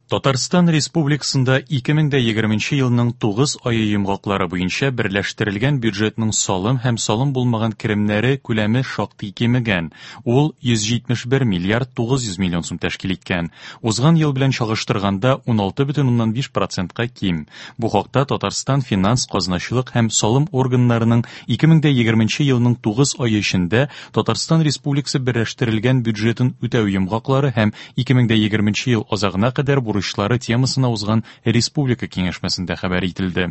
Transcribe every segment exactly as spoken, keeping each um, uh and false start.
Татарстан Республикасында ике мең дә егерменче елның тугыз ае йомгаклары буенча берләштерелгән бюджетның салым һәм салым булмаган керемнәре күләме шактый кимегән. Ул йөз җитмеш бер миллиард тугыз йөз миллион сум тәшкил иткән. Узган ел белән чагыштырганда ун алты бөтен уннан биш процентка ким. Бу хакта Татарстан финанс, казначылык һәм салым органнарының ике мең дә егерменче елның тугыз ае эчендә Татарстан Республикасы берләштерелгән бюджетын үтәү йомгаклары һәм ике мең дә егерменче ел азагына кадәр бурычлары темасына узган республика киңәшмәсендә хәбәр ителде.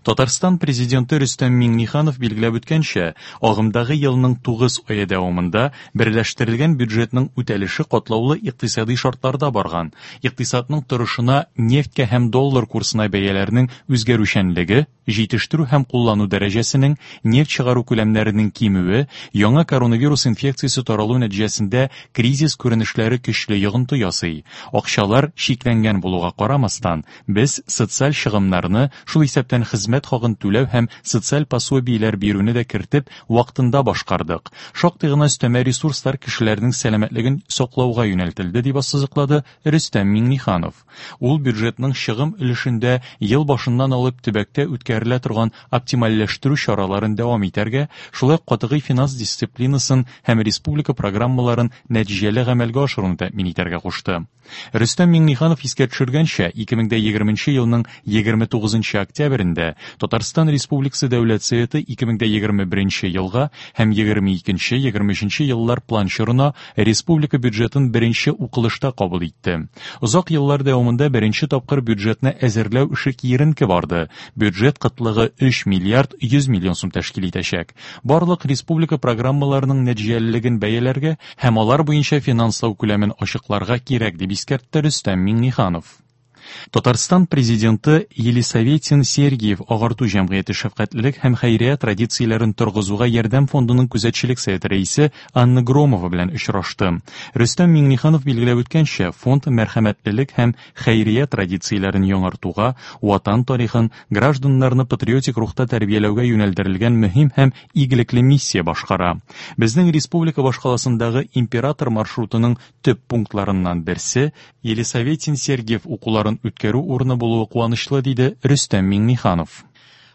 Татарстан президенты Рөстәм Миңнеханов билгеләп үткәнчә, агымдагы елның тугыз ае дәвамында берләштерелгән бюджетның үтәлеше катлаулы икътисади шартларда барган. Икътисадның торышына нефтькә һәм доллар курсына бәяләрнең үзгәрүчәнлеге, җитештерү һәм куллану дәрәҗәсенең, нефть чыгару күләмнәренең кимүе, яңа коронавирус инфекциясе таралу нәтиҗәсендә кризис күренешләре көчле йогынты ясый. Акчалар чикләнгән булуга карамастан, без социаль чыгымнарны, шул исәптән хезмәт хакын түләү һәм социаль пособиеләр бирүне дә кертеп, вакытында башкардык. Шактый гына өстәмә ресурслар кешеләрнең сәламәтлеген саклауга юнәлтелде, дип ассызыклады Рөстәм Миңнеханов. Ул бюджетның чыгым өлешендә ел башыннан алып төбәктә үткәрелә торган оптимальләштерү чараларын дәвам итәргә, шулай ук катгый финанс дисциплинасын һәм республика программаларын нәтиҗәле гамәлгә ашыруны тәэмин итәргә кушты. Рөстәм Миңнеханов искә төшергәнчә, ике мең дә егерменче елның егерме тугызынчы октябрендә Татарстан Республикасы Дәүләт Советы ике мең дә егерме беренче елга һәм егерме икенче, егерме өченче еллар план чорына республика бюджетын беренче укылышта кабул итте. Озак еллар дәвамында беренче тапкыр бюджетны әзерләү эше киеренке барды. Бюджет кытлыгы өч миллиард йөз миллион сум тәшкил итәчәк. Барлык республика программаларының нәтиҗәлелеген бәяләргә һәм алар буенча финанслау күләмен ачыкларга кирәк, дип искәртте Рөстәм Миңнеханов. Татарстан президенты Елисаветин Сергиев агарту җәмгыяте шәфкатьлелек һәм хәйрия традицияләрен торгызуга ярдәм фондының күзәтчелек советы рәисе Анна Громова белән очрашты. Рөстәм Миңнеханов билгеләп үткәнчә, фонд мәрхәмәтлелек һәм хәйрия традицияләрен яңартуга, ватан тарихын, гражданнарны патриотик рухта тәрбияләүгә юнәлдерелгән мөһим һәм игелекле миссия башкара. Безнең республика башкаласындагы император маршрутының төп пунктларыннан берсе Елисаветин Сергиев укуларын үткәрү урыны булуы куанычлы, диде Рөстәм Миңнеханов.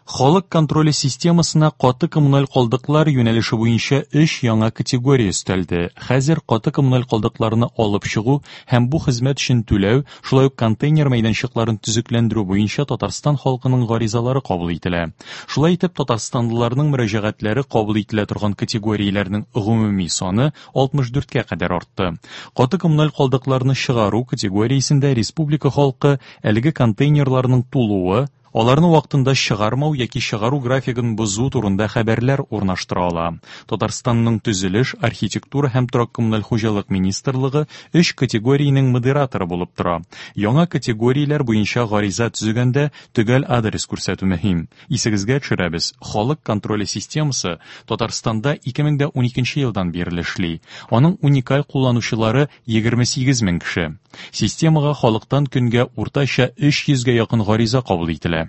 Халык контроле системасына каты коммуналь калдыклар юнәлеше буенча өч яңа категория өстәлде. Хәзер каты коммуналь калдыкларны алып чыгу һәм бу хезмәт өчен түләү, шулай ук контейнер мәйданчыкларын төзекләндерү буенча Татарстан халкының гаризалары кабул ителә. Шулай итеп, татарстанлыларның мөрәҗәгатьләре кабул ителә торган категорияләрнең гомуми саны алтмыш дүрткә кадәр артты. Каты коммуналь калдыкларны чыгару категориясендә республика халкы әлеге контейнерларның тулуы, аларны вакытында чыгармау яки чыгару графигын бозу турында хәбәрләр урнаштыра ала. Татарстанның төзелеш, архитектура һәм торак коммуналь хуҗалык министрлыгы өч категориянең модераторы булып тора. Яңа категорияләр буенча гариза төзегәндә төгәл адрес күрсәтү мөһим. Исегезгә төшерәбез, халык контроле системасы Татарстанда ике мең дә уникенче елдан бирле эшли. Аның уникаль кулланучылары егерме сигез мең кеше. Системага халыктан көнгә уртача өч йөзгә якын гариза кабул ителә.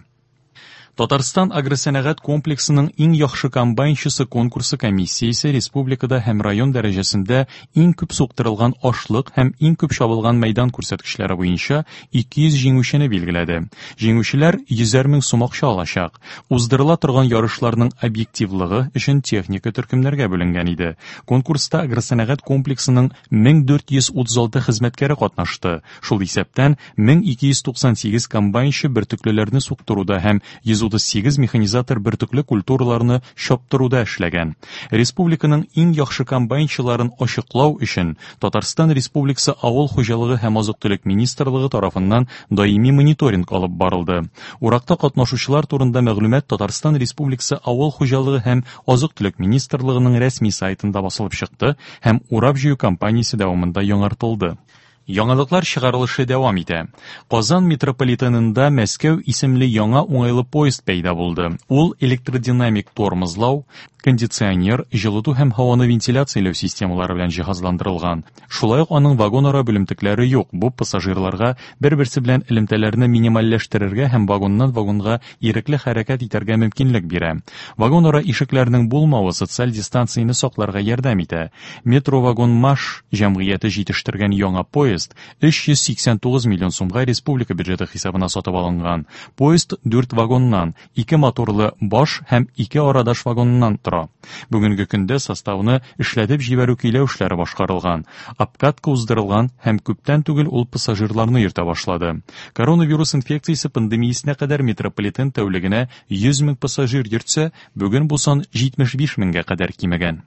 Татарстан агросәнәгать комплексының иң яхшы комбайнчысы конкурсы комиссиясе республикада һәм район дәрәҗәсендә иң күп суктырылган ашлык һәм иң күп чабылган мәйдан күрсәткечләре буенча ике йөз җиңүчене билгеләде. Җиңүчеләр йөзәр мең сум акча алачак. Уздырыла торган ярышларның объективлыгы өчен техника төркемнәргә бүленгән иде. Конкурста агросәнәгать комплексының мең дүрт йөз утыз алты хезмәткәре катнашты. Шул исәптән мең ике йөз туксан сигез комбайнчы бөртеклеләрне суктыруда һәм йөз утыз сигез механизатор бөртекле культураларны чаптыруда эшләгән. Республиканың иң яхшы комбайнчыларын ачыклау өчен Татарстан Республикасы Авыл хуҗалыгы һәм азык-төлек министрлыгы тарафыннан даими мониторинг алып барылды. Уракта катнашучылар турында мәгълүмат Татарстан Республикасы Авыл хуҗалыгы һәм азык-төлек министрлыгының рәсми сайтында басылып чыкты һәм урап җыю кампаниясе дәвамында яңартылды. Яңалыклар чыгарылышы дәвам итә. Казан метрополитенында Мәскәү исемле яңа уңайлы поезд пәйда булды. Ул электродинамик тормозлау, кондиционер, җылыту һәм һаваны вентиляцияләү системалары белән җиһазландырылган. Шулай ук аның вагон-ара бүлемтекләре юк. Бу пассажирларга бер-берсе белән элемтәләрне минимальләштерергә һәм вагоннан вагонга ирекле хәрәкәт итәргә мөмкинлек бирә. Вагон-ара ишекләрнең булмавы социаль дистанцияне сакларга ярдәм итә. Метро вагон Маш җәмгыяте җитештергән яңа поезд поезд өч йөз сиксән тугыз миллион сумга республика бюджеты хисабына сатып алынган. Поезд дүрт вагоннан, ике моторлы баш һәм ике арадаш вагоннан тора. Бүгенге көндә составны эшләтеп җибәрү көйләү эшләре башкарылган, обкатка уздырылган һәм күптән түгел ул пассажирларны йөртә башлады. Коронавирус инфекциясе пандемиясенә кадәр метрополитен тәүлегенә йөз мең пассажир йөртсә, бүген бу сан җитмеш биш меңгә кадәр кимегән.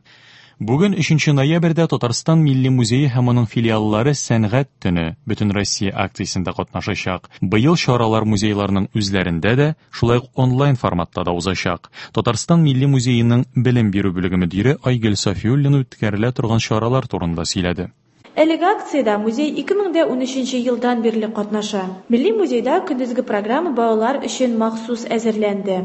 Бүген өченче ноябрьдә Татарстан Милли музее һәм аның филиаллары Сәнгать төне Бөтенроссия акциясендә катнашачак. Быел чаралар музейларның үзләрендә дә, шулай ук онлайн форматта да узачак. Татарстан Милли музееның белем бирү бүлеге мөдире Айгөл Сафиуллина үткәрелә торган чаралар турында сөйләде. Әлеге акциядә музей ике мең дә унөченче елдан бирле катнаша. Милли музейда көндезге программа балалар өчен махсус әзерләнде.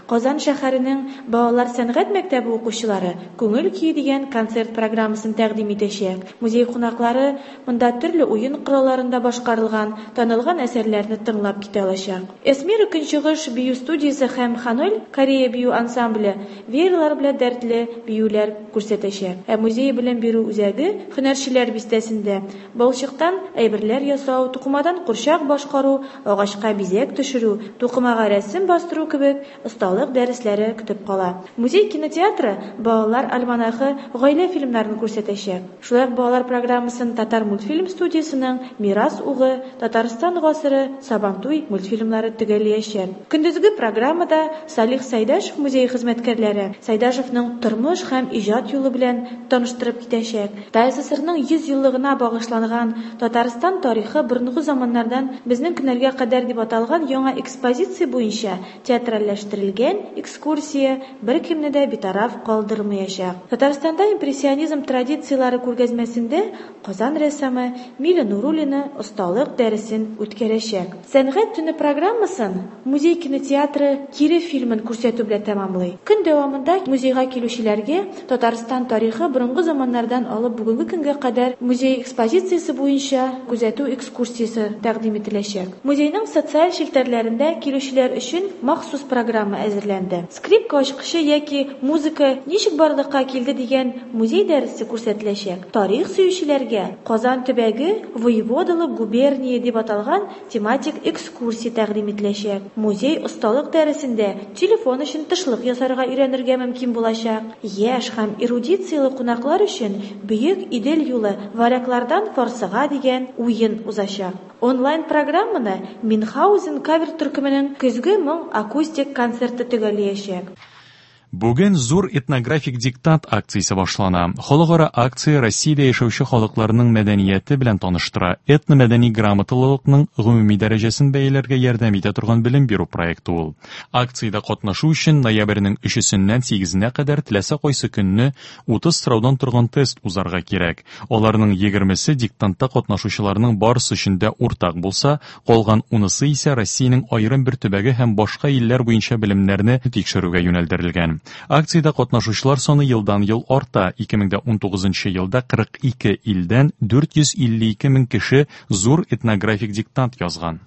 Казан шәһәренең балалар сәнгать мәктәбе укучылары Күңел көе дигән концерт программасын тәкъдим итәчәк. Музей кунаклары монда төрле уен коралларында башкарылган танылган әсәрләрне тыңлап китә алачак. Эсмира Көнчыгыш бию студиясе һәм Ханоль Корея бию ансамбле веерлар белән дәртле биюләр күрсәтәчәк. Ә музей белем бирү үзәге һөнәрчеләр бистәсендә балчыктан әйберләр ясау, тукымадан курчак башкару, агачка бизәк төшерү, тукымага рәсем бастыру кебек осталык дәресләре көтеп кала. Музей кинотеатры балалар альманахы гаилә фильмнарын күрсәтәчәк. Шулай ук балалар программасын Татар мультфильм студиясының Мирас угы, Татарстан гасыры, Сабантуй мультфильмнары төгәлләячәк. Көндезге программада Салих Сайдашев музее хезмәткәрләре Сайдашевның тормыш һәм иҗат юлы белән таныштырып китәчәк. ТАССРның йөз еллыгына багышланган Татарстан тарихы борынгы заманнардан безнең көннәргә кадәр дип аталган яңа экспозиция буенча театральләштерелгән экскурсия беркемне дә битараф калдырмаячак. Татарстанда импрессионизм традицияләре күргәзмәсендә Казан рәссамы Миля Нуруллина осталык дәресен үткәрәчәк. Сәнгать төне программасын музей кинотеатры Кире фильмын күрсәтү белән тәмамлый. Көн дәвамында музейга килүчеләргә Татарстан тарихы борынгы заманнардан алып бүгенге көнгә кадәр музей экспозициясе буенча күзәтү экскурсиясе тәкъдим ителәчәк. Музейның социаль челтәрләрендә килүчеләр өчен махсус программа әзерләнде. Скрипка ачкычы яки музыка ничек барлыкка килде дигән музей дәресе күрсәтеләчәк. Тарих сөючеләргә Казан төбәге воеводалык губерния дип аталган тематик экскурсия тәкъдим ителәчәк. Музей осталык дәресендә телефон өчен тышлык ясарга өйрәнергә мөмкин булачак. Яшь һәм эрудицияле кунаклар өчен Бөек Идел юлы варяглардан фарсыга дигән уен узачак. Онлайн программаны Минхаузен кавер төркеменең Көзге моң акустик концерты төгәлләячәк. Бүген зур этнографик диктант акциясе башлана. Халыкара акция Россиядә яшәүче халыкларның мәдәнияте белән таныштыра. Этномәдәни грамоталылыкның гомуми дәрәҗәсен бәяләргә ярдәм итә торган белем бирү проекты ул. Акциядә катнашу өчен ноябрьнең өчесеннән сигезенә кадәр теләсә кайсы көнне утыз сораудан торган тест узарга кирәк. Аларның егермесе диктантта катнашучыларның барысы өчен дә уртак булса, калган унысы исә Россиянең аерым бер төбәге һәм башка илләр буенча белемнәрне тикшерүгә юнәлдерелгән. Акциядә катнашучылар саны елдан-ел арта. Ике мең дә унтугызынчы елда кырык ике илдән дүрт йөз илле ике мең кеше зур этнографик диктант язган.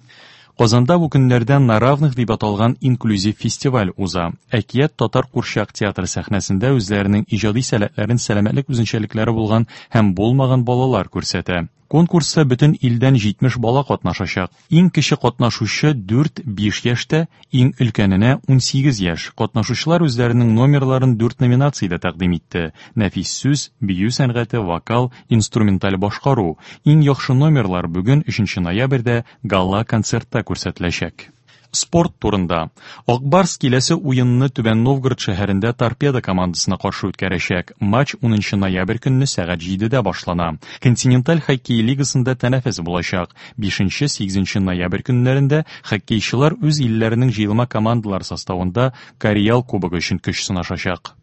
Казанда бу көннәрдә На равных дип аталган инклюзив фестиваль уза. Әкият татар курчак театры сәхнәсендә үзләренең иҗади сәләтләрен сәламәтлек үзенчәлекләре булган һәм булмаган балалар күрсәтә. Конкурста бөтен илдән җитмеш бала катнашачак. Иң кече катнашучы дүрт-биш яшьтә, иң өлкәненә унсигез яшь. Катнашучылар үзләренең номерларын дүрт номинациядә тәкъдим итте. Нәфис сүз, бию сәнгате, вокал, инструменталь башкару. Иң яхшы номерлар бүген өченче ноябрьдә гала концертта күрсәтеләчәк. Спорт турында. Акбарс киләсе уенны Түбән Новгород шәһәрендә Торпедо командасына каршы үткәрәчәк. Матч унынчы ноябрь көнне сәгать җидедә башлана. Континенталь хоккей лигасында тәнәфес булачак. Бишенче, сигезенче ноябрь көннәрендә хоккейчылар үз илләренең җыелма командалар составында Карьял кубогы өчен көч сынашачак.